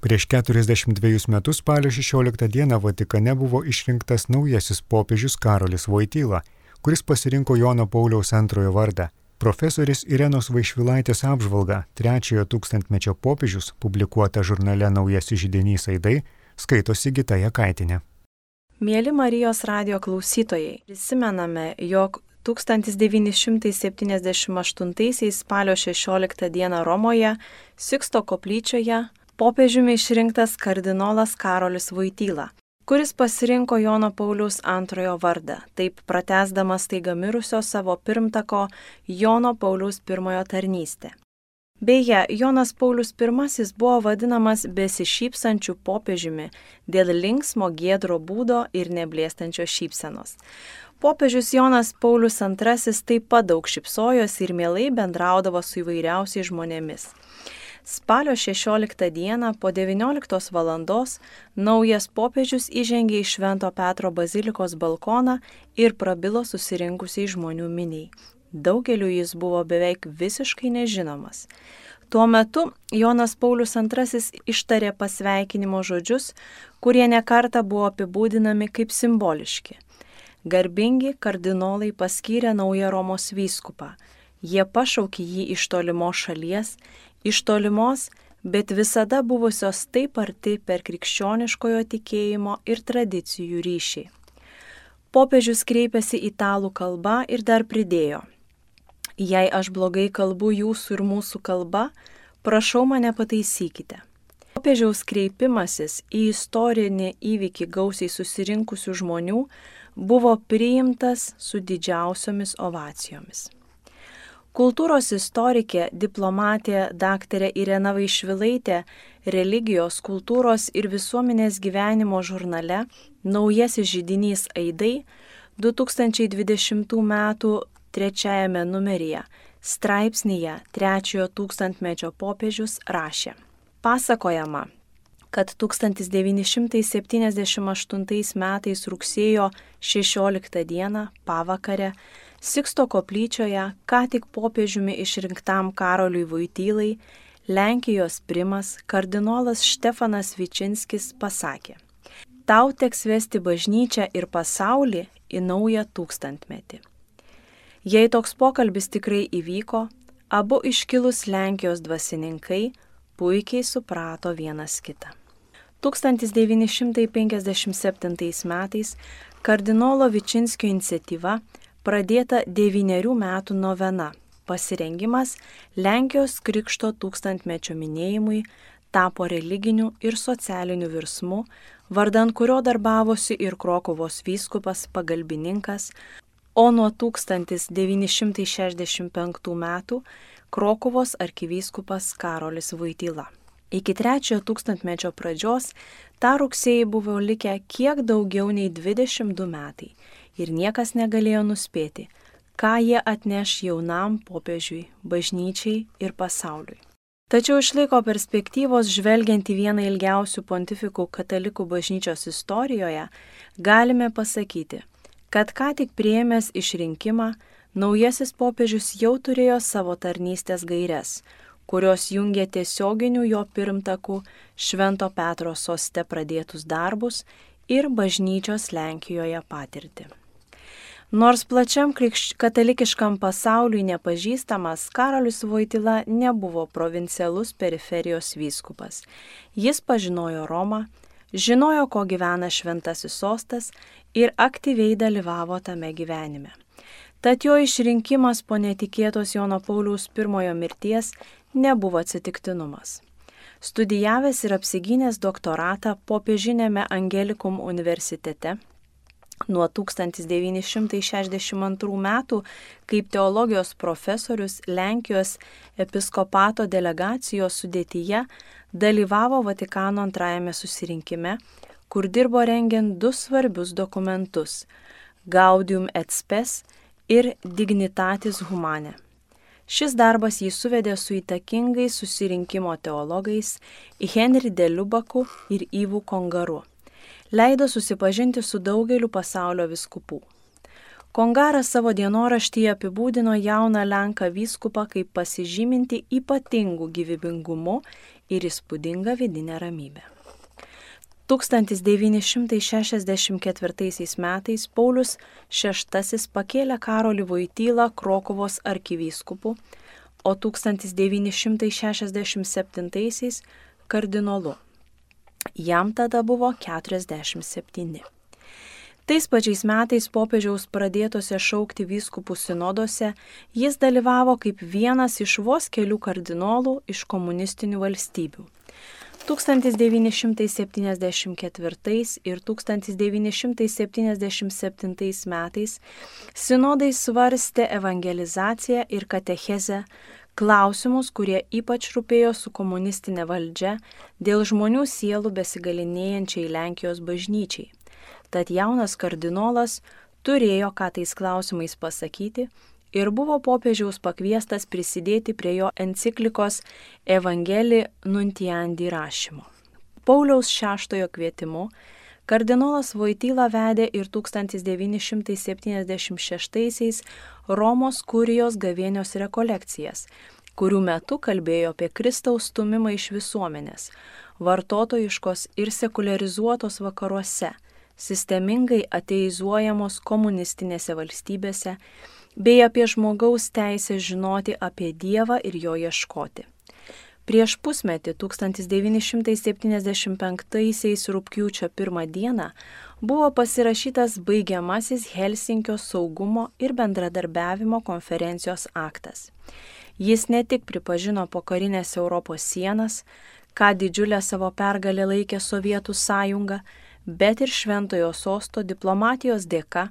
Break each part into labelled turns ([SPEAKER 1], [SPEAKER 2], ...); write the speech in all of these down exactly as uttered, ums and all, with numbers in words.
[SPEAKER 1] Prieš keturiasdešimt dvejus metus spalio šešioliktą dieną Vatikane buvo išrinktas naujasis popiežius Karolis Voityla, kuris pasirinko Jono Pauliaus antrojo vardą. Profesorės Irenos Vaišvilaitės apžvalga trečiojo tūkstantmečio popiežius, publikuota žurnale Naujasis židinys aidai, skaito Sigita Jakaitinė.
[SPEAKER 2] Mieli Marijos radijo klausytojai, prisimename, jog tūkstantis devyni šimtai septyniasdešimt aštuntaisiais spalio šešioliktą dieną Romoje, Siksto koplyčioje, popiežiumi išrinktas kardinolas Karolis Voityla, kuris pasirinko Jono Pauliaus antrojo vardą, taip pratęsdamas staiga mirusio savo pirmtako Jono Pauliaus pirmojo tarnystę. Beje, Jonas Paulius pirmasis buvo vadinamas besišypsančių popiežiumi dėl linksmo giedro būdo ir neblėstančios šypsenos. Popiežius Jonas Paulius antrasis taip pat daug šypsojosi ir mielai bendraudavo su įvairiausiais žmonėmis. Spalio šešioliktą dieną po devynioliktos valandos naujas popiežius įžengė į Švento Petro bazilikos balkoną ir prabilo susirinkusiai žmonių miniai. Daugeliu jis buvo beveik visiškai nežinomas. Tuo metu Jonas Paulius antrasis ištarė pasveikinimo žodžius, kurie nekartą buvo apibūdinami kaip simboliški. Garbingi kardinolai paskyrė naują Romos vyskupą. Jie pašaukė jį iš tolimos šalies, iš tolimos, bet visada buvusios taip arti per krikščioniškojo tikėjimo ir tradicijų ryšį. Popiežius kreipėsi italų kalba ir dar pridėjo: jei aš blogai kalbu jūsų ir mūsų kalba, prašau mane pataisykite. Popiežiaus kreipimasis į istorinį įvykį gausiai susirinkusių žmonių buvo priimtas su didžiausiomis ovacijomis. Kultūros istorikė, diplomatė daktarė Irena Vaišvilaitė religijos, kultūros ir visuomenės gyvenimo žurnale Naujasis židinys aidai du tūkstančiai dvidešimtų metų trečiajame numeryje straipsnyje trečiojo tūkstantmečio popiežius rašė: pasakojama, kad tūkstantis devyni šimtai septyniasdešimt aštuntais metais rugsėjo šešioliktą dieną pavakarę Siksto koplyčioje ką tik popiežiumi išrinktam Karoliui Voitylai Lenkijos primas kardinolas Štefanas Vičinskis pasakė: tau teks vesti bažnyčią ir pasaulį į naują tūkstantmetį. Jei toks pokalbis tikrai įvyko, abu iškilus Lenkijos dvasininkai puikiai suprato vienas kitą. tūkstantis devyni šimtai penkiasdešimt septintais metais kardinolo Vičinskio iniciatyva pradėta devynerių metų novena, pasirengimas Lenkijos krikšto tūkstantmečio minėjimui tapo religiniu ir socialiniu virsmu, vardan kurio darbavosi ir Krokuvos vyskupas pagalbininkas, o nuo tūkstantis devyni šimtai šešiasdešimt penktų metų Krokuvos arkivyskupas Karolis Voityla. Iki trečiojo tūkstantmečio pradžios tą rugsėjį buvo likę kiek daugiau nei dvidešimt du metai ir niekas negalėjo nuspėti, ką jie atneš jaunam popiežiui, bažnyčiai ir pasauliui. Tačiau iš laiko perspektyvos žvelgiant į vieną ilgiausių pontifikų katalikų bažnyčios istorijoje, galime pasakyti, kad ką tik priėmęs išrinkimą, naujasis popiežius jau turėjo savo tarnystės gaires, kurios jungė tiesioginių jo pirmtakų Švento Petro soste pradėtus darbus ir bažnyčios Lenkijoje patirtį. Nors plačiam krikšč... katalikiškam pasauliui nepažįstamas, Karolis Voityla nebuvo provincialus periferijos vyskupas. Jis pažinojo Romą, žinojo, ko gyvena šventasis sostas ir aktyviai dalyvavo tame gyvenime. Tad jo išrinkimas po netikėtos Jono Pauliaus pirmojo mirties nebuvo atsitiktinumas. Studijavęs ir apsigynęs doktoratą popiežinėme Angelikum universitete, nuo tūkstantis devyni šimtai šešiasdešimt antrų metų kaip teologijos profesorius Lenkijos episkopato delegacijos sudėtyje dalyvavo Vatikano antrajame susirinkime, kur dirbo rengiant du svarbius dokumentus – Gaudium et Spes ir Dignitatis Humanae. Šis darbas jį suvedė su įtakingais susirinkimo teologais Henri de Lubaku ir Yvu Kongaru. Leido susipažinti su daugeliu pasaulio vyskupų. Kongaras savo dienoraštyje apibūdino jauną Lenką vyskupą kaip pasižyminti ypatingų gyvybingumu ir įspūdingą vidinę ramybę. tūkstantis devyni šimtai šešiasdešimt ketvirtaisiais metais Paulius šeštasis pakėlė Karolį Voitylą Krokuvos arkivyskupu, o tūkstantis devyni šimtai šešiasdešimt septintaisiais kardinolu. Jam tada buvo keturiasdešimt septyni. Tais pačiais metais popiežiaus pradėtose šaukti vyskupų sinoduose jis dalyvavo kaip vienas iš vos kelių kardinolų iš komunistinių valstybių. tūkstantis devyni šimtai septyniasdešimt ketvirtais ir tūkstantis devyni šimtai septyniasdešimt septintais metais sinodai svarstė evangelizaciją ir katechezę, klausimus, kurie ypač rūpėjo su komunistinė valdžia dėl žmonių sielų besigalinėjančiai Lenkijos bažnyčiai. Tad jaunas kardinolas turėjo ką tais klausimais pasakyti ir buvo popiežiaus pakviestas prisidėti prie jo enciklikos Evangelii Nuntiandi rašymo. Pauliaus šeštojo kvietimu kardinolas Voityla vedė ir tūkstantis devyni šimtai septyniasdešimt šeštaisiais Romos kurijos gavėnios rekolekcijas, kurių metu kalbėjo apie Kristaus stūmimą iš visuomenės, vartotojiškos ir sekularizuotos vakaruose, sistemingai ateizuojamos komunistinėse valstybėse, bei apie žmogaus teisę žinoti apie Dievą ir jo ieškoti. Prieš pusmetį tūkstantis devyni šimtai septyniasdešimt penktaisiais rugpjūčio pirmą dieną buvo pasirašytas baigiamasis Helsinkio saugumo ir bendradarbiavimo konferencijos aktas. Jis ne tik pripažino pokarinės Europos sienas, ką didžiulę savo pergalę laikė Sovietų sąjunga, bet ir Šventojo sosto diplomatijos dėka,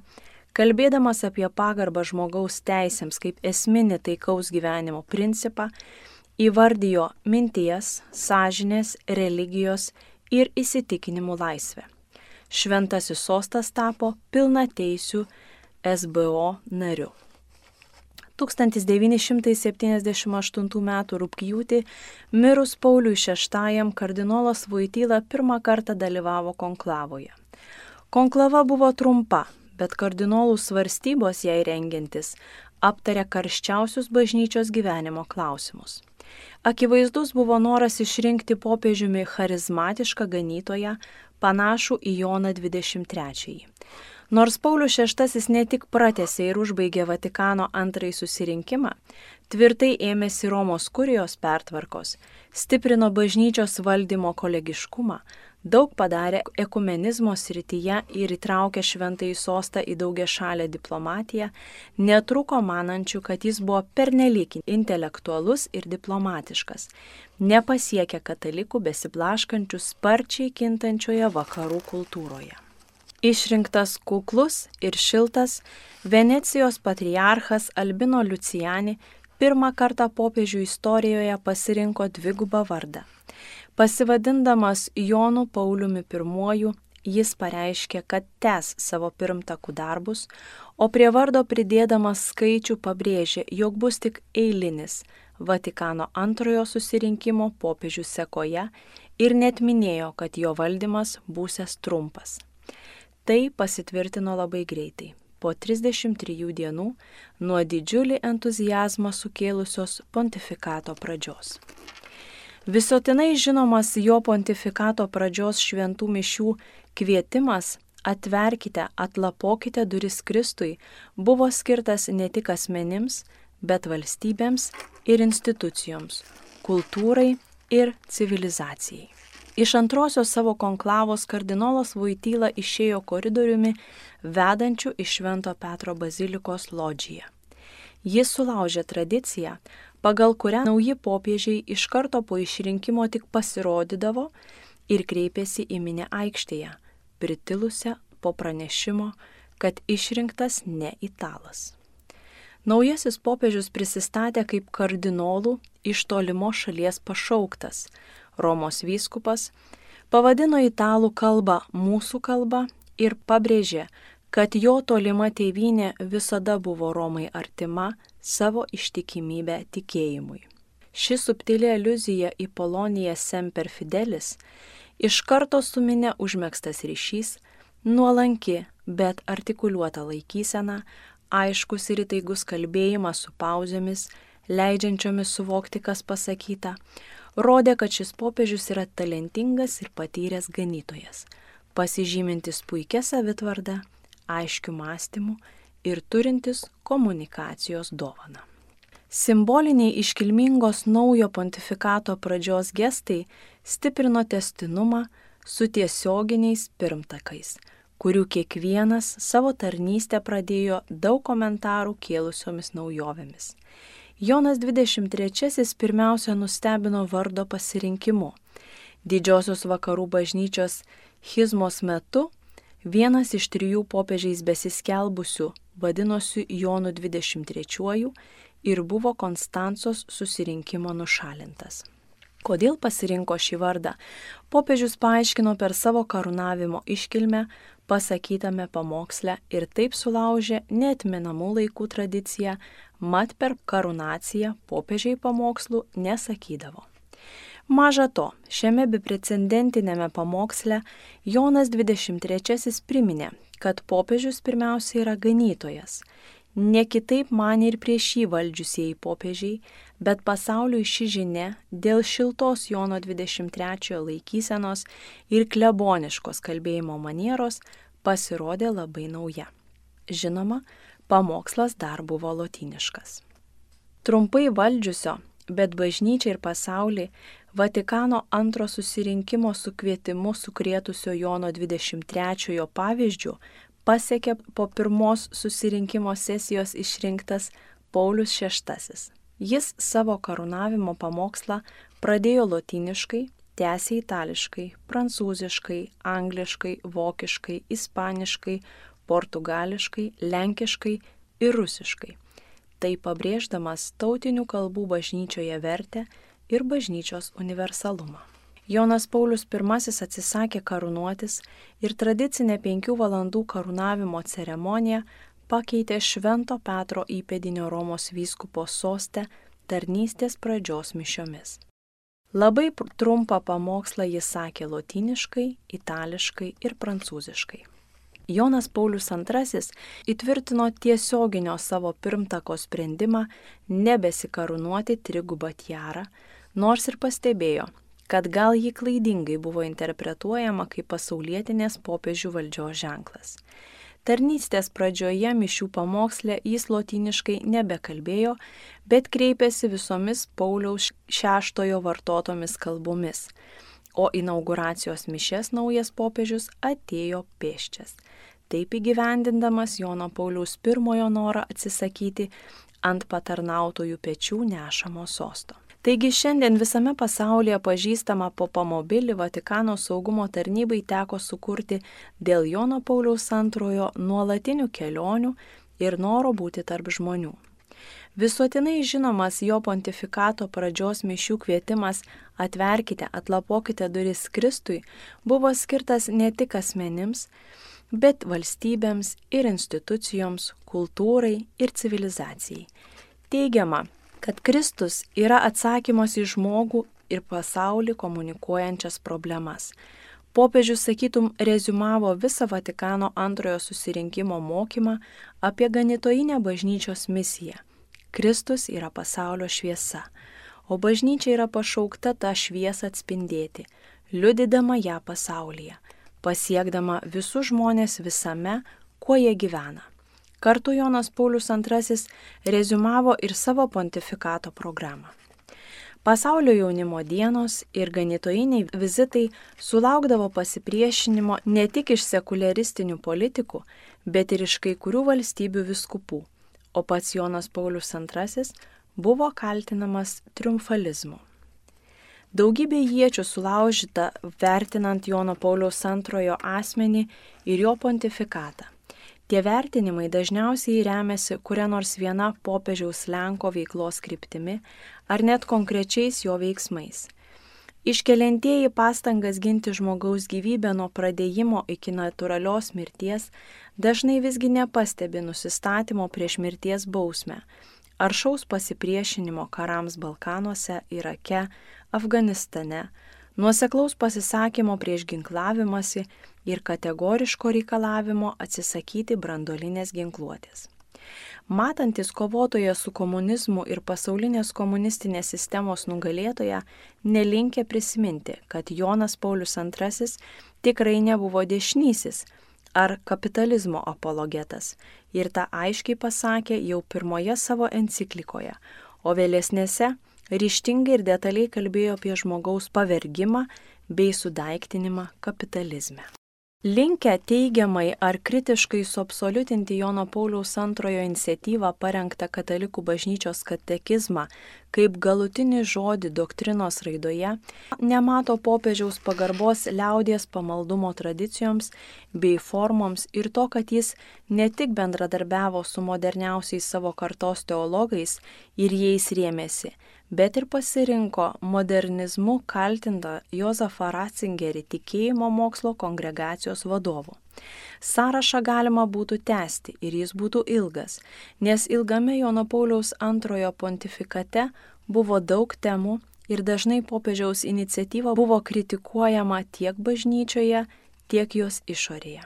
[SPEAKER 2] kalbėdamas apie pagarbą žmogaus teisėms kaip esminį taikaus gyvenimo principą, įvardijo minties, sąžinės, religijos ir įsitikinimų laisvę. Šventasis sostas tapo pilnateisiu S B O nariu. tūkstantis devyni šimtai septyniasdešimt aštuntų metų rugpjūtį mirus Pauliui šeštajam kardinolas Voityla pirmą kartą dalyvavo konklavoje. Konklava buvo trumpa, bet kardinolų svarstybos jai rengiantis aptarė karščiausius bažnyčios gyvenimo klausimus. Akivaizdus buvo noras išrinkti popiežiumi charizmatišką ganytoją, panašų į Joną dvidešimt trečiąjį. Nors Paulius šeštasis ne tik pratęsė ir užbaigė Vatikano antrąjį susirinkimą, tvirtai ėmėsi Romos kurijos pertvarkos, stiprino bažnyčios valdymo kolegiškumą, daug padarė ekumenizmo srityje ir įtraukė Šventąjį sostą į daugiašalę diplomatiją, netruko manančių, kad jis buvo pernelyg intelektualus ir diplomatiškas, nepasiekė katalikų besiblaškančių sparčiai kintančioje vakarų kultūroje. Išrinktas kuklus ir šiltas Venecijos patriarchas Albino Luciani pirmą kartą popiežių istorijoje pasirinko dvigubą vardą. Pasivadindamas Jonu Pauliumi pirmuoju, jis pareiškė, kad tęs savo pirmtakų darbus, o prie vardo pridėdamas skaičių pabrėžė, jog bus tik eilinis Vatikano antrojo susirinkimo popiežių sekoje ir net minėjo, kad jo valdymas būsiąs trumpas. Tai pasitvirtino labai greitai, po trisdešimt trijų dienų nuo didžiulį entuziazmą sukėlusios pontifikato pradžios. Visuotinai žinomas jo pontifikato pradžios šventų mišių kvietimas "Atverkite, atlapokite duris Kristui" buvo skirtas ne tik asmenims, bet valstybėms ir institucijoms, kultūrai ir civilizacijai. Iš antrosios savo konklavos kardinolas Voityla išėjo koridoriumi vedančiu iš Švento Petro bazilikos lodžiją. Jis sulaužė tradiciją, pagal kurią nauji popiežiai iš karto po išrinkimo tik pasirodydavo ir kreipėsi į minią aikštėje, pritilusią po pranešimo, kad išrinktas ne italas. Naujasis popiežius prisistatė kaip kardinolų iš tolimos šalies pašauktas, Romos vyskupas, pavadino italų kalbą mūsų kalba ir pabrėžė, kad jo tolima tėvynė visada buvo Romai artima savo ištikimybę tikėjimui. Ši subtili aliuzija į Poloniją Semper Fidelis iš karto su minia užmegztas ryšys, nuolanki, bet artikuliuota laikysena, aiškus ir įtaigus kalbėjimas su pauzėmis, leidžiančiomis suvokti, kas pasakyta, rodė, kad šis popiežius yra talentingas ir patyręs ganytojas, pasižymintis puikia savitvarda, aiškiu mąstymu ir turintis komunikacijos dovaną. Simboliniai iškilmingos naujo pontifikato pradžios gestai stiprino tęstinumą su tiesioginiais pirmtakais, kurių kiekvienas savo tarnystę pradėjo daug komentarų kėlusiomis naujovėmis. Jonas dvidešimt trečiasis pirmiausia nustebino vardo pasirinkimu. Didžiosios vakarų bažnyčios schizmos metu vienas iš trijų popiežiais besiskelbusių vadinosi Jonu dvidešimt trečiuoju ir buvo Konstancos susirinkimo nušalintas. Kodėl pasirinko šį vardą, popiežius paaiškino per savo karūnavimo iškilmę pasakytame pamoksle ir taip sulaužė neatmenamų laikų tradiciją, mat per karūnaciją popiežiai pamokslų nesakydavo. Maža to, šiame beprecedentinėme pamoksle Jonas dvidešimt trečiasis priminė, kad popiežius pirmiausia yra ganytojas. Ne kitaip manė ir prieš jį valdžiusieji popiežiai, bet pasauliui ši žinia dėl šiltos Jono dvidešimt trečiojo laikysenos ir kleboniškos kalbėjimo manieros pasirodė labai nauja. Žinoma, pamokslas dar buvo lotyniškas. Trumpai valdžiusio, bet bažnyčia ir pasaulį Vatikano antro susirinkimo su kvietimu sukrėtusio Jono dvidešimt trečiojo pavyzdžių pasiekė po pirmos susirinkimo sesijos išrinktas Paulius šeštasis. Jis savo karūnavimo pamokslą pradėjo lotyniškai, tęsė itališkai, prancūziškai, angliškai, vokiškai, ispaniškai, portugališkai, lenkiškai ir rusiškai. Tai pabrėždamas tautinių kalbų bažnyčioje vertę ir bažnyčios universalumą. Jonas Paulius pirmasis atsisakė karūnuotis ir tradicinę penkių valandų karūnavimo ceremoniją pakeitė Švento Petro įpėdinio Romos vyskupo soste tarnystės pradžios mišiomis. Labai trumpą pamokslą jis sakė lotyniškai, itališkai ir prancūziškai. Jonas Paulius antrasis įtvirtino tiesioginio savo pirmtako sprendimą nebesikarūnuoti trigubą tiarą, nors ir pastebėjo, kad gal jį klaidingai buvo interpretuojama kaip pasaulietinės popiežių valdžios ženklas. Tarnystės pradžioje mišių pamoksle jis lotyniškai nebekalbėjo, bet kreipėsi visomis Pauliaus šeštojo vartotomis kalbomis, o inauguracijos mišias naujas popiežius atėjo pėsčias, taip įgyvendindamas Jono Pauliaus pirmojo norą atsisakyti ant patarnautojų pečių nešamo sosto. Taigi šiandien visame pasaulyje pažįstamą popamobilį Vatikano saugumo tarnybai teko sukurti dėl Jono Pauliaus antrojo nuolatinių kelionių ir noro būti tarp žmonių. Visuotinai žinomas jo pontifikato pradžios mišių kvietimas atverkite, atlapokite duris Kristui buvo skirtas ne tik asmenims, bet valstybėms ir institucijoms, kultūrai ir civilizacijai. Teigiama, kad Kristus yra atsakymas į žmogų ir pasaulį komunikuojančias problemas. Popiežius, sakytum, reziumavo visą Vatikano antrojo susirinkimo mokymą apie ganytojinę bažnyčios misiją. Kristus yra pasaulio šviesa, o bažnyčia yra pašaukta tą šviesą atspindėti, liudydama ją pasaulyje, pasiekdama visus žmonės visame, kuo jie gyvena. Kartu Jonas Paulius antrasis reziumavo ir savo pontifikato programą. Pasaulio jaunimo dienos ir ganytojiniai vizitai sulaukdavo pasipriešinimo ne tik iš sekuliaristinių politikų, bet ir iš kai kurių valstybių vyskupų, o pats Jonas Paulius antrasis buvo kaltinamas triumfalizmu. Daugybė iečių sulaužyta vertinant Jono Pauliaus antrojo asmenį ir jo pontifikatą. Tie vertinimai dažniausiai remiasi kuria nors viena popiežiaus Lenko veiklos kryptimi ar net konkrečiais jo veiksmais. Iškeliantieji pastangas ginti žmogaus gyvybę nuo pradėjimo iki natūralios mirties dažnai visgi nepastebi nusistatymo prieš mirties bausmę, aršaus pasipriešinimo karams Balkanuose, Irake, Afganistane, nuoseklaus pasisakymo prieš ginklavimąsi ir kategoriško reikalavimo atsisakyti branduolinės ginkluotės. Matantis kovotoje su komunizmu ir pasaulinės komunistinės sistemos nugalėtoje, nelinkė prisiminti, kad Jonas Paulius antrasis tikrai nebuvo dešinysis ar kapitalizmo apologetas ir tą aiškiai pasakė jau pirmoje savo enciklikoje, o vėlesnėse ryžtingai ir detaliai kalbėjo apie žmogaus pavergimą bei sudaiktinimą kapitalizme. Linkę teigiamai ar kritiškai suabsoliutinti Jono Pauliaus antrojo iniciatyvą parengtą Katalikų bažnyčios katekizmą kaip galutinį žodį doktrinos raidoje, nemato popiežiaus pagarbos liaudies pamaldumo tradicijoms bei formoms ir to, kad jis ne tik bendradarbiavo su moderniausiais savo kartos teologais ir jais rėmėsi, bet ir pasirinko modernizmu kaltintą Jozefą Ratzingerį tikėjimo mokslo kongregacijos vadovu. Sąrašą galima būtų tęsti ir jis būtų ilgas, nes ilgame Jono Pauliaus antrojo pontifikate buvo daug temų ir dažnai popiežiaus iniciatyva buvo kritikuojama tiek bažnyčioje, tiek jos išorėje.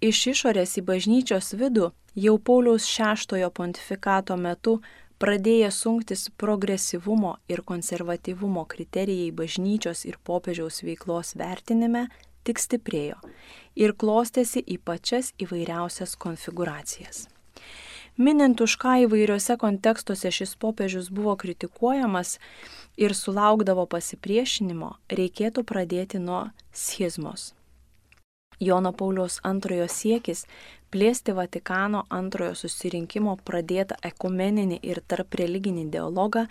[SPEAKER 2] Iš išorės į bažnyčios vidų jau Pauliaus šeštojo pontifikato metu pradėję sunktis progresyvumo ir konservatyvumo kriterijai bažnyčios ir popiežiaus veiklos vertinime tik stiprėjo ir klostėsi į pačias įvairiausias konfiguracijas. Minint, už ką įvairiuose kontekstuose šis popiežius buvo kritikuojamas ir sulaukdavo pasipriešinimo, reikėtų pradėti nuo schizmos. Jono Pauliaus antrojo siekis plėsti Vatikano antrojo susirinkimo pradėtą ekumeninį ir tarpreliginį dialogą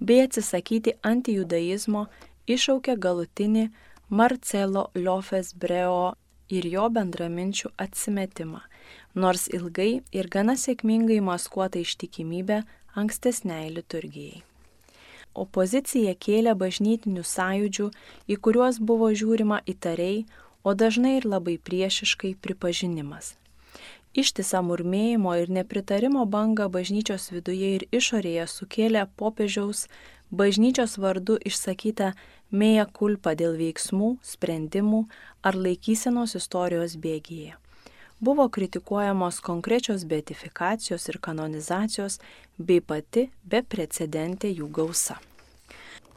[SPEAKER 2] bei atsisakyti antijudaizmo iššaukė galutinį Marcelo Llofes Breo ir jo bendraminčių atsimetimą, nors ilgai ir gana sėkmingai maskuota ištikimybė ankstesniai liturgijai. Opozicija kėlė bažnytinių sąjūdžių, į kuriuos buvo žiūrima įtariai, o dažnai ir labai priešiškai pripažinimas. Ištisą murmėjimo ir nepritarimo bangą bažnyčios viduje ir išorėje sukėlė popiežiaus bažnyčios vardu išsakyta mea culpa dėl veiksmų, sprendimų ar laikysenos istorijos bėgyje. Buvo kritikuojamos konkrečios beatifikacijos ir kanonizacijos bei pati beprecedentė jų gausa.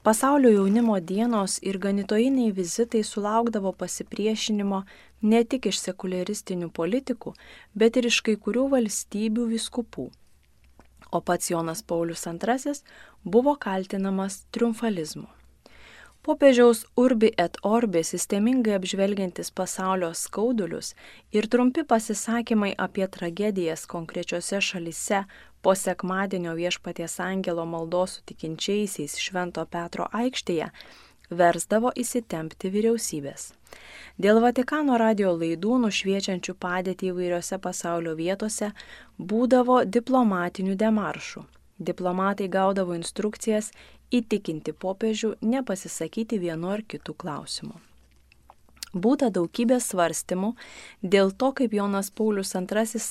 [SPEAKER 2] Pasaulio jaunimo dienos ir ganytojiniai vizitai sulaukdavo pasipriešinimo ne tik iš sekuliaristinių politikų, bet ir iš kai kurių valstybių vyskupų. O pats Jonas Paulius antrasis buvo kaltinamas triumfalizmu. Popiežiaus urbi et orbi sistemingai apžvelgiantis pasaulio skaudulius ir trumpi pasisakymai apie tragedijas konkrečiose šalyse po sekmadienio Viešpaties angelo maldos su tikinčiaisiais Švento Petro aikštėje versdavo įsitempti vyriausybės. Dėl Vatikano radijo laidų nušviečiančių padėtį įvairiose pasaulio vietose būdavo diplomatinių demaršų. Diplomatai gaudavo instrukcijas įtikinti popiežių nepasisakyti vienu ar kitu klausimu. Būta daugybė svarstymų dėl to, kaip Jonas Paulius antrasis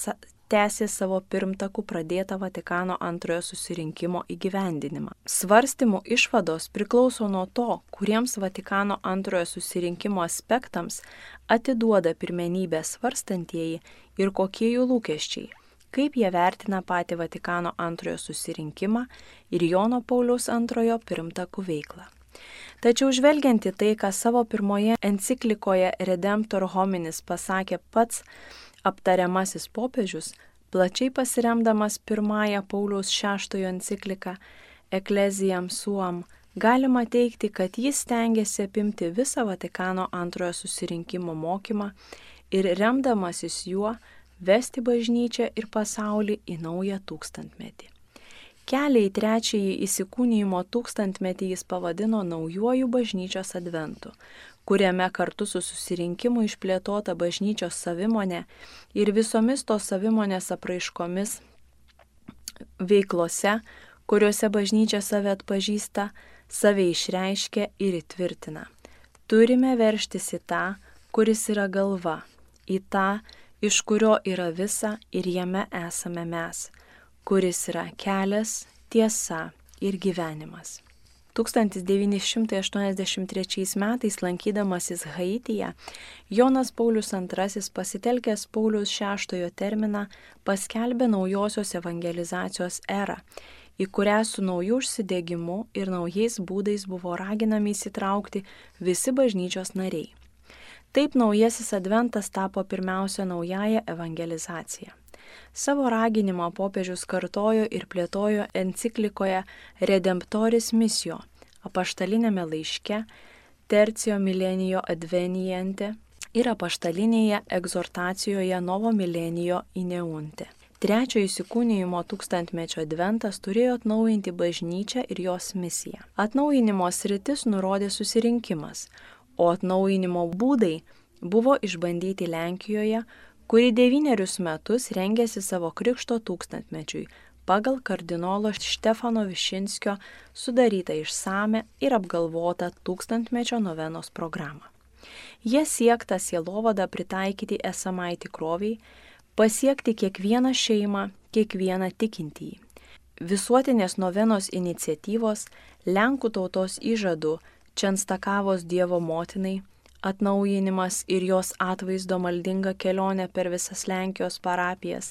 [SPEAKER 2] tęsė savo pirmtakų pradėtą Vatikano antrojo susirinkimo įgyvendinimą. Svarstymų išvados priklauso nuo to, kuriems Vatikano antrojo susirinkimo aspektams atiduoda pirmenybę svarstantieji ir kokie jų lūkesčiai, kaip jie vertina patį Vatikano antrojo susirinkimą ir Jono Pauliaus antrojo pirmtakų veiklą. Tačiau žvelgiant į tai, ką savo pirmoje enciklikoje Redemptor Hominis pasakė pats aptariamasis popiežius, plačiai pasiremdamas pirmąją Pauliaus šeštojo encikliką Ecclesiam Suam, galima teigti, kad jis stengiasi apimti visą Vatikano antrojo susirinkimo mokymą ir remdamasis juo vesti bažnyčią ir pasaulį į naują tūkstantmetį. Kelią į trečiąjį įsikūnijimo tūkstantmetį jis pavadino naujuoju bažnyčios adventu, kuriame kartu su susirinkimu išplėtota bažnyčios savimonė ir visomis tos savimonės apraiškomis veiklose, kuriuose bažnyčia save atpažįsta, save išreiškia ir įtvirtina. Turime veržtis į tą, kuris yra galva, į tą, iš kurio yra visa ir jame esame mes, kuris yra kelias, tiesa ir gyvenimas. tūkstantis devyni šimtai aštuoniasdešimt trečiais metais lankydamasis Haityje, Jonas Paulius antrasis pasitelkęs Pauliaus šeštojo terminą paskelbė naujosios evangelizacijos erą, į kurią su nauju užsidegimu ir naujais būdais buvo raginami įsitraukti visi bažnyčios nariai. Taip naujasis adventas tapo pirmiausia naująja evangelizacija. Savo raginimą popiežius kartojo ir plėtojo enciklikoje Redemptoris Missio, apaštalinėme laiške Tercio Millenio Adveniente ir apaštalinėje egzortacijoje Novo Millenio Ineunte. Trečiojo įsikūnijimo tūkstantmečio adventas turėjo atnaujinti bažnyčią ir jos misiją. Atnaujinimo sritis nurodė susirinkimas, o atnaujinimo būdai buvo išbandyti Lenkijoje, kuri devynerius metus rengėsi savo krikšto tūkstantmečiui pagal kardinolo Štefano Višinskio sudarytą išsame ir apgalvotą tūkstantmečio novenos programą. Jie siekta sielovadą pritaikyti esamai tikroviai, pasiekti kiekvieną šeimą, kiekvieną tikintįjį. Visuotinės novenos iniciatyvos, Lenkų tautos įžadų, Čenstakavos Dievo motinai, atnaujinimas ir jos atvaizdo maldinga kelionė per visas Lenkijos parapijas,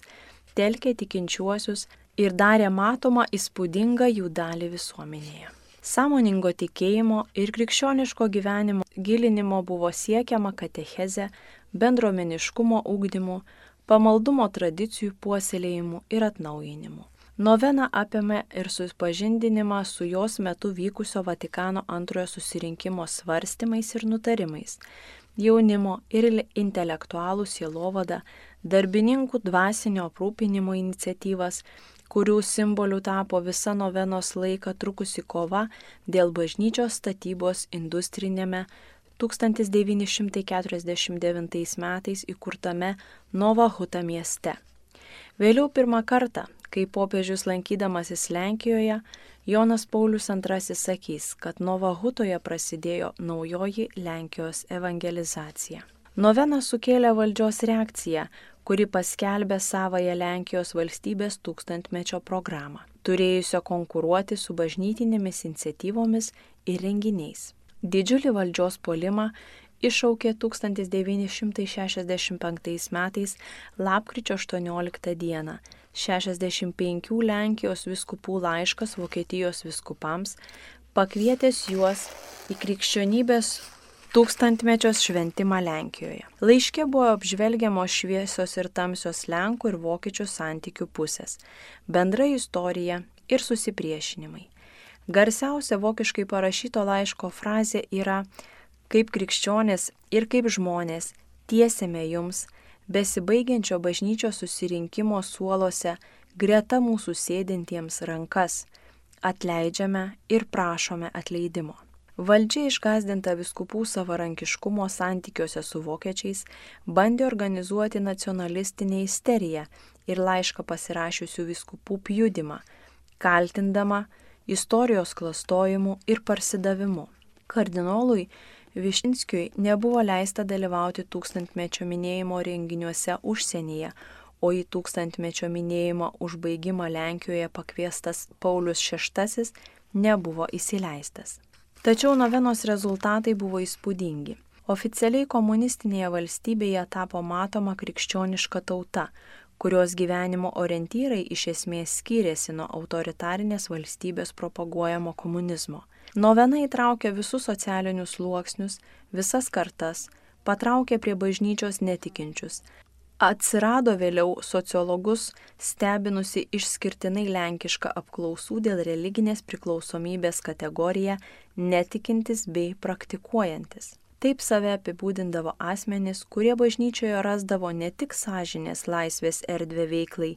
[SPEAKER 2] telkė tikinčiuosius ir darė matomą įspūdingą jų dalį visuomenėje. Sąmoningo tikėjimo ir krikščioniško gyvenimo gilinimo buvo siekiama katecheze, bendruomeniškumo ugdymu, pamaldumo tradicijų puoselėjimu ir atnaujinimu. Novena apėmė ir supažindinimą su jos metu vykusio Vatikano antrojo susirinkimo svarstymais ir nutarimais, jaunimo ir intelektualų sielovadą, darbininkų dvasinio aprūpinimo iniciatyvas, kurių simboliu tapo visa novenos laiką trukusi kova dėl bažnyčios statybos industrinėme tūkstantis devyni šimtai keturiasdešimt devintais metais įkurtame Nova Huta mieste. Vėliau pirmą kartą, kai popiežius lankydamasis Lenkijoje, Jonas Paulius antrasis sakys, kad Nova Hutoje prasidėjo naujoji Lenkijos evangelizacija. Novena sukėlė valdžios reakciją, kuri paskelbė savąją Lenkijos valstybės tūkstantmečio programą, turėjusio konkuruoti su bažnytinėmis iniciatyvomis ir renginiais. Didžiulį valdžios puolimą iššaukė tūkstantis devyni šimtai šešiasdešimt penktais metais lapkričio aštuonioliktą dieną šešiasdešimt penkių Lenkijos vyskupų laiškas Vokietijos vyskupams, pakvietęs juos į krikščionybės tūkstantmečios šventimą Lenkijoje. Laiške buvo apžvelgiamos šviesios ir tamsios Lenkų ir vokiečių santykių pusės, bendra istorija ir susipriešinimai. Garsiausia vokiškai parašyto laiško frazė yra: kaip krikščionės ir kaip žmonės tiesiame jums, besibaigiančio bažnyčios susirinkimo suoluose, greta mūsų sėdintiems rankas, atleidžiame ir prašome atleidimo. Valdžia išgąsdinta vyskupų savarankiškumo santykiuose su vokiečiais bandė organizuoti nacionalistinę isteriją ir laišką pasirašiusių vyskupų pjudimą, kaltindama istorijos klastojimu ir parsidavimu. Kardinolui Višinskiui nebuvo leista dalyvauti tūkstantmečio minėjimo renginiuose užsienyje, o į tūkstantmečio minėjimo užbaigimą Lenkijoje pakviestas Paulius šeštasis nebuvo įsileistas. Tačiau novenos rezultatai buvo įspūdingi. Oficialiai komunistinėje valstybėje tapo matoma krikščioniška tauta, kurios gyvenimo orientyrai iš esmės skyrėsi nuo autoritarinės valstybės propaguojamo komunizmo. Novena įtraukė visus socialinius sluoksnius, visas kartas, patraukė prie bažnyčios netikinčius. Atsirado vėliau sociologus stebinusi išskirtinai lenkišką apklausų dėl religinės priklausomybės kategoriją netikintis bei praktikuojantis. Taip save apibūdindavo asmenys, kurie bažnyčioje rasdavo ne tik sąžinės laisvės erdvę veiklai,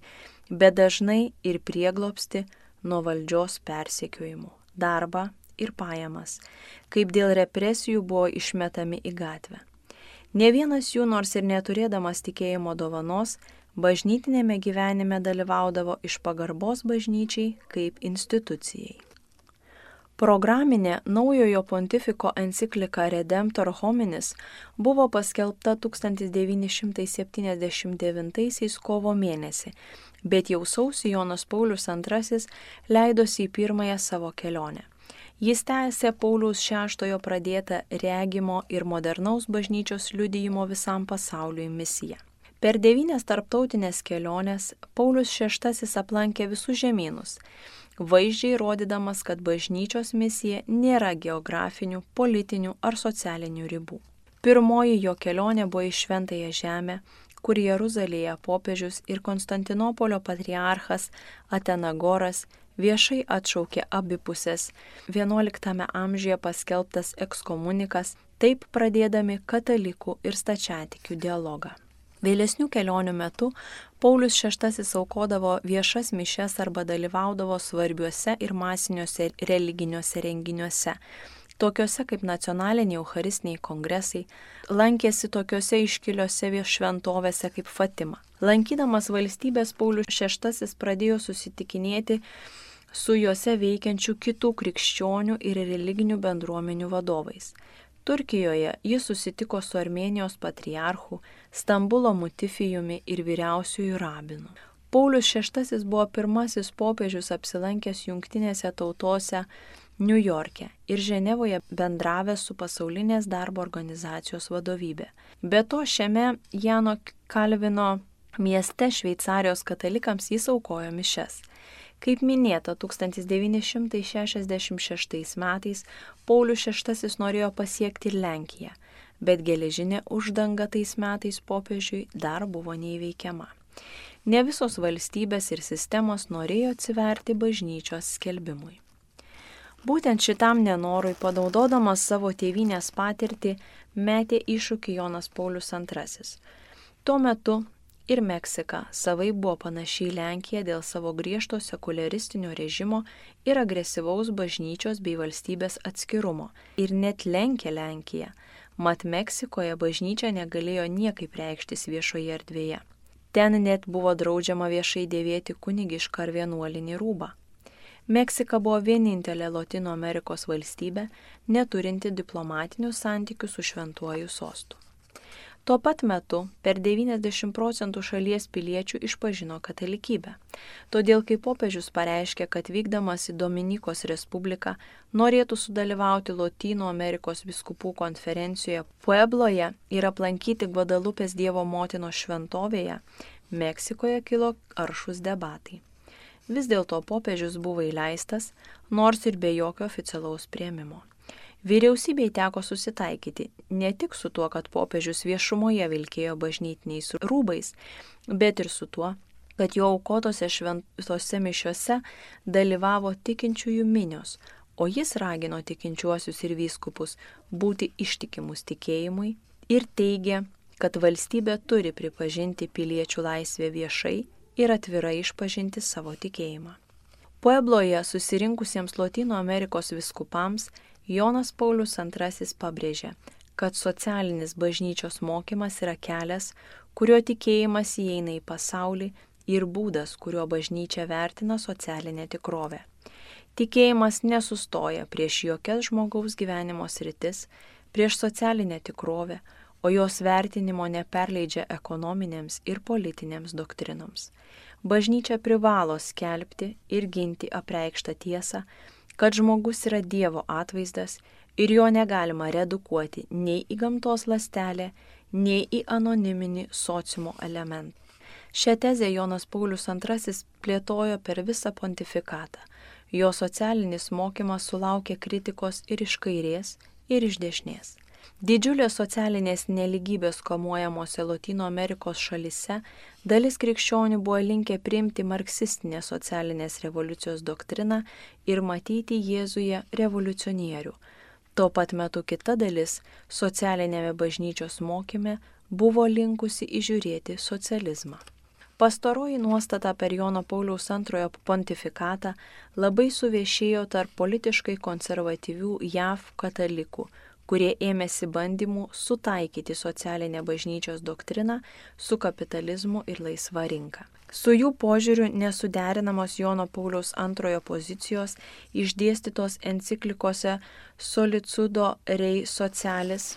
[SPEAKER 2] bet dažnai ir prieglobstį nuo valdžios persekiojimų, darbą ir pajamas, kaip dėl represijų buvo išmetami į gatvę. Ne vienas jų, nors ir neturėdamas tikėjimo dovanos, bažnytinėme gyvenime dalyvaudavo iš pagarbos bažnyčiai kaip institucijai. Programinė naujojo pontifiko enciklika Redemptor Hominis buvo paskelbta tūkstantis devyni šimtai septyniasdešimt devintaisiais kovo mėnesį, bet jau sausį Jonas Paulius antrasis leidosi į pirmąją savo kelionę. Jis tęsė Pauliaus šeštojo pradėtą regimo ir modernaus bažnyčios liudijimo visam pasauliui misiją. Per devynias tarptautinės keliones Paulius šeštasis aplankė visus žemynus, vaizdžiai rodydamas, kad bažnyčios misija nėra geografinių, politinių ar socialinių ribų. Pirmoji jo kelionė buvo į Šventąją žemę, kur Jeruzalėje popiežius ir Konstantinopolio patriarchas Atenagoras viešai atšaukė abipusės vienuoliktame amžiuje paskelbtas ekskomunikas, taip pradėdami katalikų ir stačiatikių dialogą. Vėlesnių kelionių metu Paulius šeštasis aukodavo viešas mišias arba dalyvaudavo svarbiuose ir masiniuose religiniuose renginiuose, tokiuose kaip nacionaliniai eucharistiniai kongresai, lankėsi tokiuose iškiliuose šventovėse kaip Fatima. Lankydamas valstybės, Paulius šeštasis pradėjo susitikinėti su juose veikiančių kitų krikščionių ir religinių bendruomenių vadovais. Turkijoje jis susitiko su Armėnijos patriarchu, Stambulo mutifijumi ir vyriausiųjų rabinu. Paulius šeštasis buvo pirmasis popiežius apsilankęs jungtinėse tautose Niujorke ir Ženevoje bendravęs su pasaulinės darbo organizacijos vadovybė. Be to, šiame Jano Kalvino mieste Šveicarijos katalikams jis aukojo mišias. Kaip minėta, tūkstantis devyni šimtai šešiasdešimt šeštais metais Paulius šeštasis norėjo pasiekti ir Lenkiją, bet geležinė uždanga tais metais popiežiui dar buvo neįveikiama. Ne visos valstybės ir sistemos norėjo atsiverti bažnyčios skelbimui. Būtent šitam nenorui, panaudodamas savo tėvynės patirtį, metė iššūkį Jonas Paulius antrasis. Tuo metu ir Meksika savai buvo panašiai Lenkiją dėl savo griežto sekuliaristinio režimo ir agresyvaus bažnyčios bei valstybės atskirumo ir net lenkė Lenkiją, mat Meksikoje bažnyčia negalėjo niekaip reikštis viešoje erdvėje. Ten net buvo draudžiama viešai dėvėti kunigišką ar vienuolinį rūbą. Meksika buvo vienintelė Lotynų Amerikos valstybė, neturinti diplomatinių santykių su šventuoju sostu. Tuo pat metu per devyniasdešimt procentų šalies piliečių išpažino katalikybę. Todėl, kai popiežius pareiškė, kad vykdamas į Dominikos Respubliką norėtų sudalyvauti Lotynų Amerikos vyskupų konferencijoje Puebloje ir aplankyti Gvadalupės Dievo motinos šventovėje, Meksikoje kilo aršūs debatai. Vis dėlto popiežius buvo įleistas, nors ir be jokio oficialaus priėmimo. Vyriausybei teko susitaikyti ne tik su tuo, kad popiežius viešumoje vilkėjo bažnytiniais rūbais, bet ir su tuo, kad jo aukotose šventose mišiose dalyvavo tikinčiųjų minios, o jis ragino tikinčiuosius ir vyskupus būti ištikimus tikėjimui ir teigė, kad valstybė turi pripažinti piliečių laisvę viešai ir atvirai išpažinti savo tikėjimą. Puebloje susirinkusiems Lotynų Amerikos vyskupams Jonas Paulius antrasis pabrėžė, kad socialinis bažnyčios mokymas yra kelias, kurio tikėjimas įeina į pasaulį ir būdas, kuriuo bažnyčia vertina socialinę tikrovę. Tikėjimas nesustoja prieš jokias žmogaus gyvenimo sritis, prieš socialinę tikrovę, o jos vertinimo neperleidžia ekonominėms ir politinėms doktrinoms. Bažnyčia privalo skelbti ir ginti apreikštą tiesą, kad žmogus yra Dievo atvaizdas ir jo negalima redukuoti nei į gamtos ląstelę, nei į anoniminį sociumo elementą. Šią tezę Jonas Paulius antrasis plėtojo per visą pontifikatą. Jo socialinis mokymas sulaukė kritikos ir iš kairės, ir iš dešinės. Didžiulės socialinės neligybės kamuojamose Lotynų Amerikos šalyse dalis krikščionių buvo linkę priimti marksistinės socialinės revoliucijos doktriną ir matyti Jėzuje revoliucionierių. Tuo pat metu kita dalis socialinėme bažnyčios mokyme buvo linkusi įžiūrėti socializmą. Pastaroji nuostata per Jono Pauliaus antrojo pontifikatą labai suviešėjo tarp politiškai konservatyvių J A V katalikų, kurie ėmėsi bandymų sutaikyti socialinę bažnyčios doktriną su kapitalizmu ir laisva rinka. Su jų požiūriu nesuderinamos Jono Pauliaus antrojo pozicijos išdėstytos enciklikose Solitudo Rei Socialis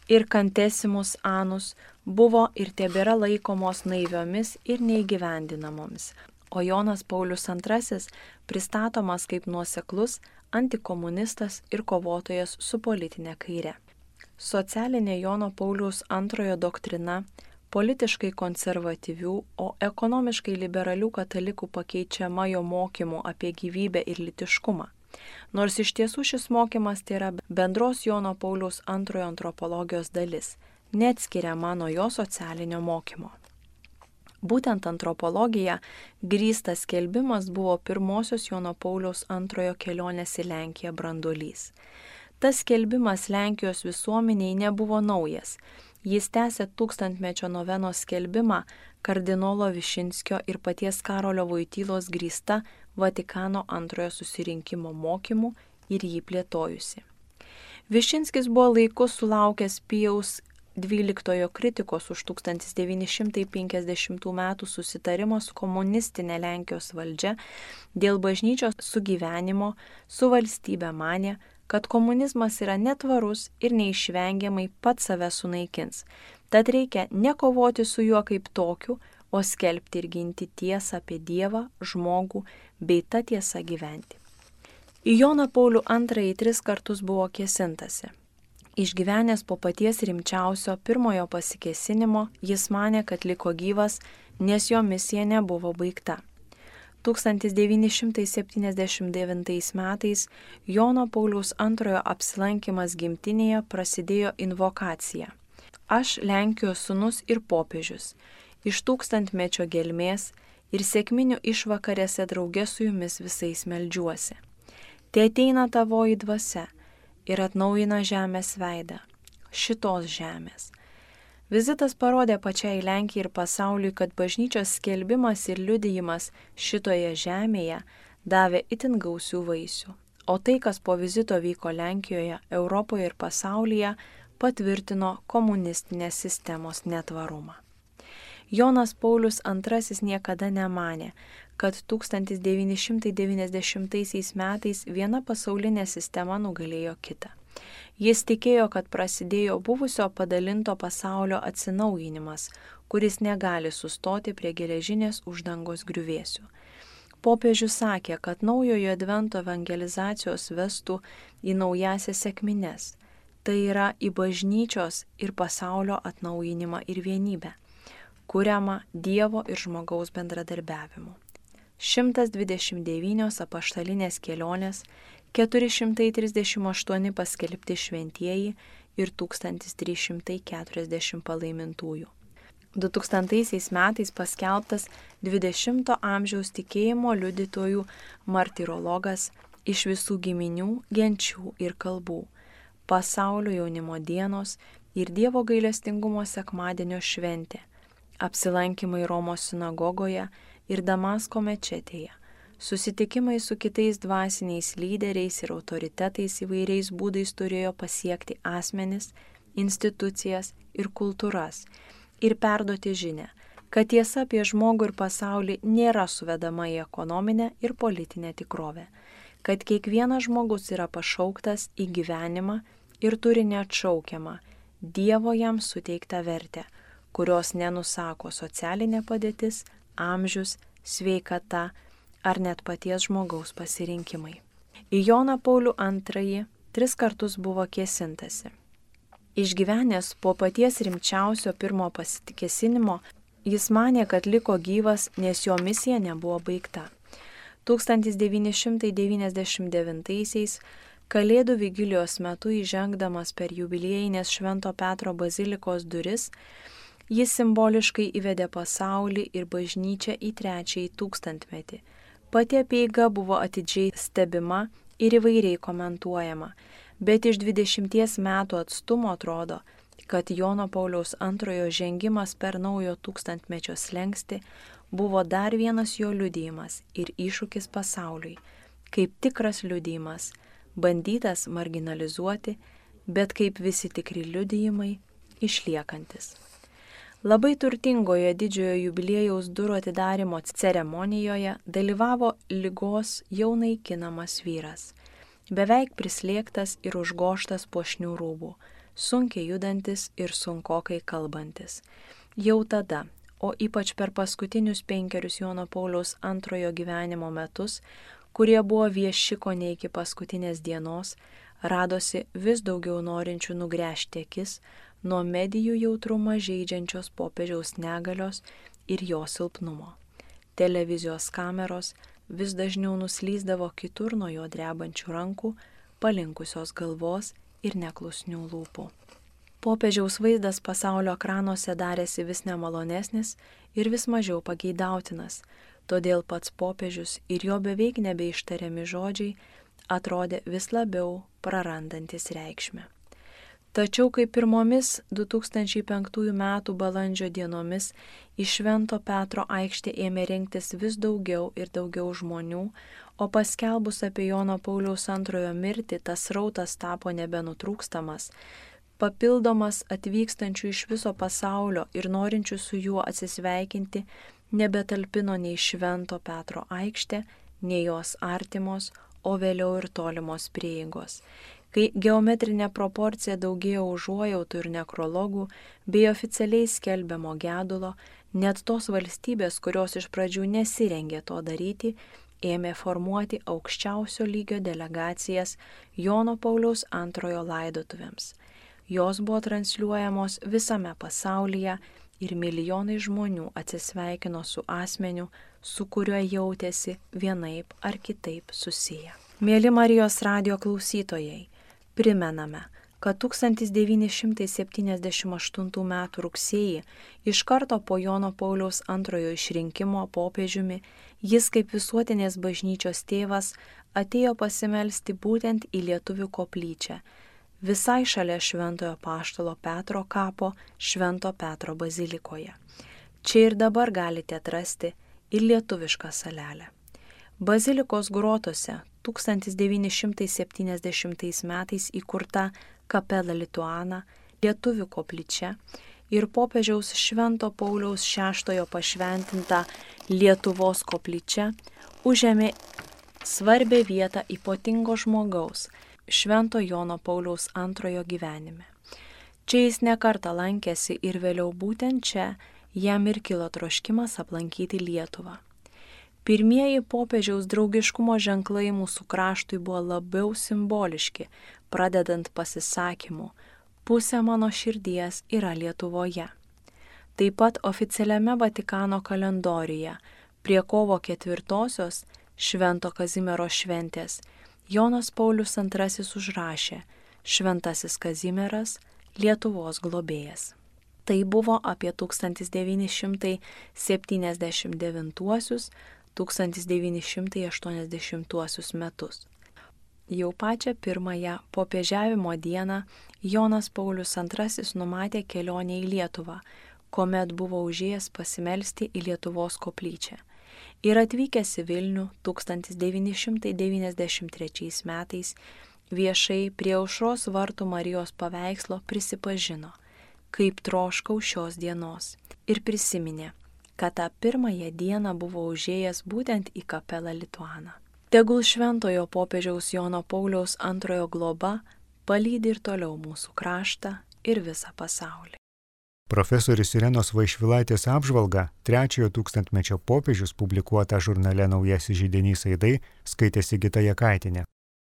[SPEAKER 2] ir Cantesimus Annus buvo ir tebėra laikomos naiviomis ir neįgyvendinamomis, o Jonas Paulius antrasis pristatomas kaip nuoseklus, antikomunistas ir kovotojas su politinė kaire. Socialinė Jono Pauliaus antrojo doktrina politiškai konservatyvių, o ekonomiškai liberalių katalikų pakeičiama jo mokymu apie gyvybę ir lytiškumą. Nors iš tiesų šis mokymas tai yra bendros Jono Pauliaus antrojo antropologijos dalis, neatskiriama nuo jo socialinio mokymo. Būtent antropologija grįstas skelbimas buvo pirmosios Jono Pauliaus antrojo kelionės į Lenkiją branduolys. Tas skelbimas Lenkijos visuomeniai nebuvo naujas. Jis tęsė tūkstantmečio novenos skelbimą kardinolo Višinskio ir paties Karolio Voitylos grįsta Vatikano antrojo susirinkimo mokymu ir jį plėtojusi. Višinskis buvo laiku sulaukęs Pijaus dvyliktojo kritikos už tūkstantis devyni šimtai penkiasdešimtų metų susitarimą su komunistinė Lenkijos valdžia dėl bažnyčios sugyvenimo su valstybe manė, kad komunizmas yra netvarus ir neišvengiamai pats save sunaikins. Tad reikia nekovoti su juo kaip tokiu, o skelbti ir ginti tiesą apie Dievą, žmogų bei tą tiesą gyventi. Į Joną Paulių antrąjį tris kartus buvo kėsintasi. Išgyvenęs po paties rimčiausio pirmojo pasikėsinimo, jis manė, kad liko gyvas, nes jo misija nebuvo baigta. tūkstantis devyni šimtai septyniasdešimt devintais metais Jono Pauliaus antrojo apsilankimas gimtinėje prasidėjo invokacija. Aš, Lenkijos sūnus ir popiežius, iš tūkstantmečio gelmės ir sekminių išvakarėse drauge su jumis visais meldžiuosi. Te ateina tavoji dvasia ir atnaujina žemės veidą, šitos žemės. Vizitas parodė pačiai Lenkijai ir pasauliui, kad bažnyčios skelbimas ir liudijimas šitoje žemėje davė itin gausių vaisių, o tai, kas po vizito vyko Lenkijoje, Europoje ir pasaulyje, patvirtino komunistinės sistemos netvarumą. Jonas Paulius antrasis niekada nemanė, kad tūkstantis devyni šimtai devyniasdešimtaisiais metais viena pasaulinė sistema nugalėjo kitą. Jis tikėjo, kad prasidėjo buvusio padalinto pasaulio atsinaujinimas, kuris negali sustoti prie geležinės uždangos griuvėsių. Popiežius sakė, kad naujojo advento evangelizacijos vestų į naujasias sekmines, tai yra į bažnyčios ir pasaulio atnaujinimą ir vienybę, kuriamą Dievo ir žmogaus bendradarbiavimu. šimtas dvidešimt devynios apaštalinės kelionės, keturi šimtai trisdešimt aštuoni paskelbti šventieji ir tūkstantis trys šimtai keturiasdešimt palaimintųjų. du tūkstantaisiais metais paskelbtas dvidešimto amžiaus tikėjimo liudytojų martirologas iš visų giminių, genčių ir kalbų, pasaulio jaunimo dienos ir Dievo gailestingumo sekmadienio šventė, apsilankymai Romos sinagogoje ir Damasko mečetėje, susitikimai su kitais dvasiniais lyderiais ir autoritetais įvairiais būdais turėjo pasiekti asmenis, institucijas ir kultūras ir perduoti žinią, kad tiesa apie žmogų ir pasaulį nėra suvedama į ekonominę ir politinę tikrovę, kad kiekvienas žmogus yra pašauktas į gyvenimą ir turi neatšaukiamą Dievo jam suteiktą vertę, kurios nenusako socialinė padėtis, amžius, sveikata ar net paties žmogaus pasirinkimai. Į Joną Paulių antrąjį tris kartus buvo kėsintasi. Išgyvenęs po paties rimčiausio pirmo pasikėsinimo, jis manė, kad liko gyvas, nes jo misija nebuvo baigta. tūkstantis devyni šimtai devyniasdešimt devintaisiais Kalėdų vigilijos metu įžengdamas per jubiliejinės Švento Petro bazilikos duris, jis simboliškai įvedė pasaulį ir bažnyčią į trečiąjį tūkstantmetį. Pati apeiga buvo atidžiai stebima ir įvairiai komentuojama, bet iš dvidešimties metų atstumo atrodo, kad Jono Pauliaus antrojo žengimas per naujo tūkstantmečio slenkstį buvo dar vienas jo liudijimas ir iššūkis pasauliui, kaip tikras liudijimas, bandytas marginalizuoti, bet kaip visi tikri liudijimai, išliekantis. Labai turtingoje didžiojo jubiliejaus durų atidarimo ceremonijoje dalyvavo ligos jau naikinamas vyras, beveik prislėgtas ir užgoštas puošnių rūbų, sunkiai judantis ir sunkokai kalbantis. Jau tada, o ypač per paskutinius penkerius Jono Pauliaus antrojo gyvenimo metus, kurie buvo vieši kone iki paskutinės dienos, radosi vis daugiau norinčių nugręžti akis nuo medijų jautrumą žeidžiančios popiežiaus negalios ir jo silpnumo. Televizijos kameros vis dažniau nuslysdavo kitur nuo jo drebančių rankų, palinkusios galvos ir neklusnių lūpų. Popiežiaus vaizdas pasaulio ekranuose darėsi vis nemalonesnis ir vis mažiau pageidautinas, todėl pats popiežius ir jo beveik nebeištariami žodžiai atrodė vis labiau prarandantis reikšmę. Tačiau kaip pirmomis du tūkstančiai penktųjų metų balandžio dienomis iš Švento Petro aikštė ėmė rinktis vis daugiau ir daugiau žmonių, o paskelbus apie Jono Pauliaus antrojo mirtį tas srautas tapo nebenutrūkstamas, papildomas atvykstančių iš viso pasaulio ir norinčių su juo atsisveikinti nebetalpino nei Švento Petro aikštė, nei jos artimos, o vėliau ir tolimos prieigos. Kai geometrinė proporcija daugėjo užuojautų ir nekrologų bei oficialiai skelbiamo gedulo, net tos valstybės, kurios iš pradžių nesirengė to daryti, ėmė formuoti aukščiausio lygio delegacijas Jono Pauliaus antrojo laidotuvėms. Jos buvo transliuojamos visame pasaulyje ir milijonai žmonių atsisveikino su asmeniu, su kuriuo jautėsi vienaip ar kitaip susiję. Mėly Marijos radijo klausytojai, primename, kad tūkstantis devyni šimtai septyniasdešimt aštuntų metų rugsėjį, iš karto po Jono Pauliaus antrojo išrinkimo popiežiumi, jis kaip visuotinės bažnyčios tėvas atėjo pasimelsti būtent į Lietuvių koplyčią, visai šalia Šventojo Apaštalo Petro kapo Švento Petro bazilikoje. Čia ir dabar galite atrasti ir lietuvišką salelę. Bazilikos grotose tūkstantis devyni šimtai septyniasdešimtais metais įkurta Kapela Lituana, Lietuvių koplyčia ir popiežiaus Švento Pauliaus šeštojo pašventinta Lietuvos koplyčia užėmė svarbią vietą ypatingo žmogaus, Švento Jono Pauliaus antrojo gyvenime. Čia jis nekartą lankėsi ir vėliau būtent čia jam ir kilo troškimas aplankyti Lietuvą. Pirmieji popiežiaus draugiškumo ženklai mūsų kraštui buvo labiau simboliški, pradedant pasisakymu "Pusė mano širdies yra Lietuvoje". Taip pat oficialiame Vatikano kalendoriuje prie kovo ketvirtosios Švento Kazimiero šventės Jonas Paulius antrasis užrašė "Šventasis Kazimieras, Lietuvos globėjas". Tai buvo apie tūkstantis devyni šimtai septyniasdešimt devintuosius - tūkstantis devyni šimtai aštuoniasdešimtuosius metus. Jau pačią pirmąją popiežiavimo dieną Jonas Paulius antrasis numatė kelionę į Lietuvą, kuomet buvo užėjęs pasimelsti į Lietuvos koplyčią. Ir atvykęs į Vilnių tūkstantis devyni šimtai devyniasdešimt trečiais metais viešai prie Aušros vartų Marijos paveikslo prisipažino, kaip troškau šios dienos, ir prisiminė, kad tą pirmąją dieną buvo užėjęs būtent į Kapelą Lituaną. Tegul šventojo popiežiaus Jono Pauliaus antrojo globa palydi ir toliau mūsų kraštą ir visą pasaulį.
[SPEAKER 1] Profesorius Irenos Vaišvilaitės apžvalgą trečiojo tūkstantmečio popiežius publikuotą žurnale Naujasis židinys aidai skaitė Sigita Jakaitienė.